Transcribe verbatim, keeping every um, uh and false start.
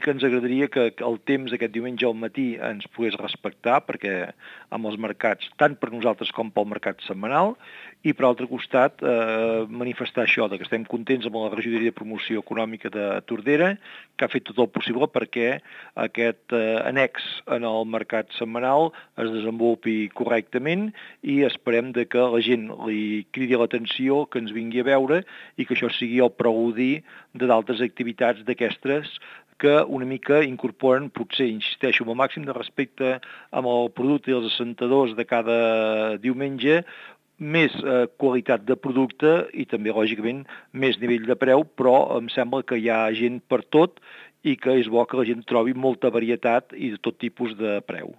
que ens agradaria que el temps aquest diumenge al matí ens pogués respectar, perquè amb els mercats, tant per nosaltres com pel mercat setmanal, i per altre costat eh, manifestar això, que estem contents amb la regidoria de promoció econòmica de Tordera, que ha fet tot el possible perquè aquest eh, annex en el mercat setmanal es desenvolupi correctament i esperem de que la gent li cridi l'atenció, que ens vingui a veure i que això sigui el preludi de d'altres activitats d'aquestes que una mica incorporen, potser, insisteixo, amb el màxim de respecte amb el producte i els assentadors de cada diumenge, més eh, qualitat de producte i també, lògicament, més nivell de preu, però em sembla que hi ha gent per tot i que és bo que la gent trobi molta varietat i de tot tipus de preu.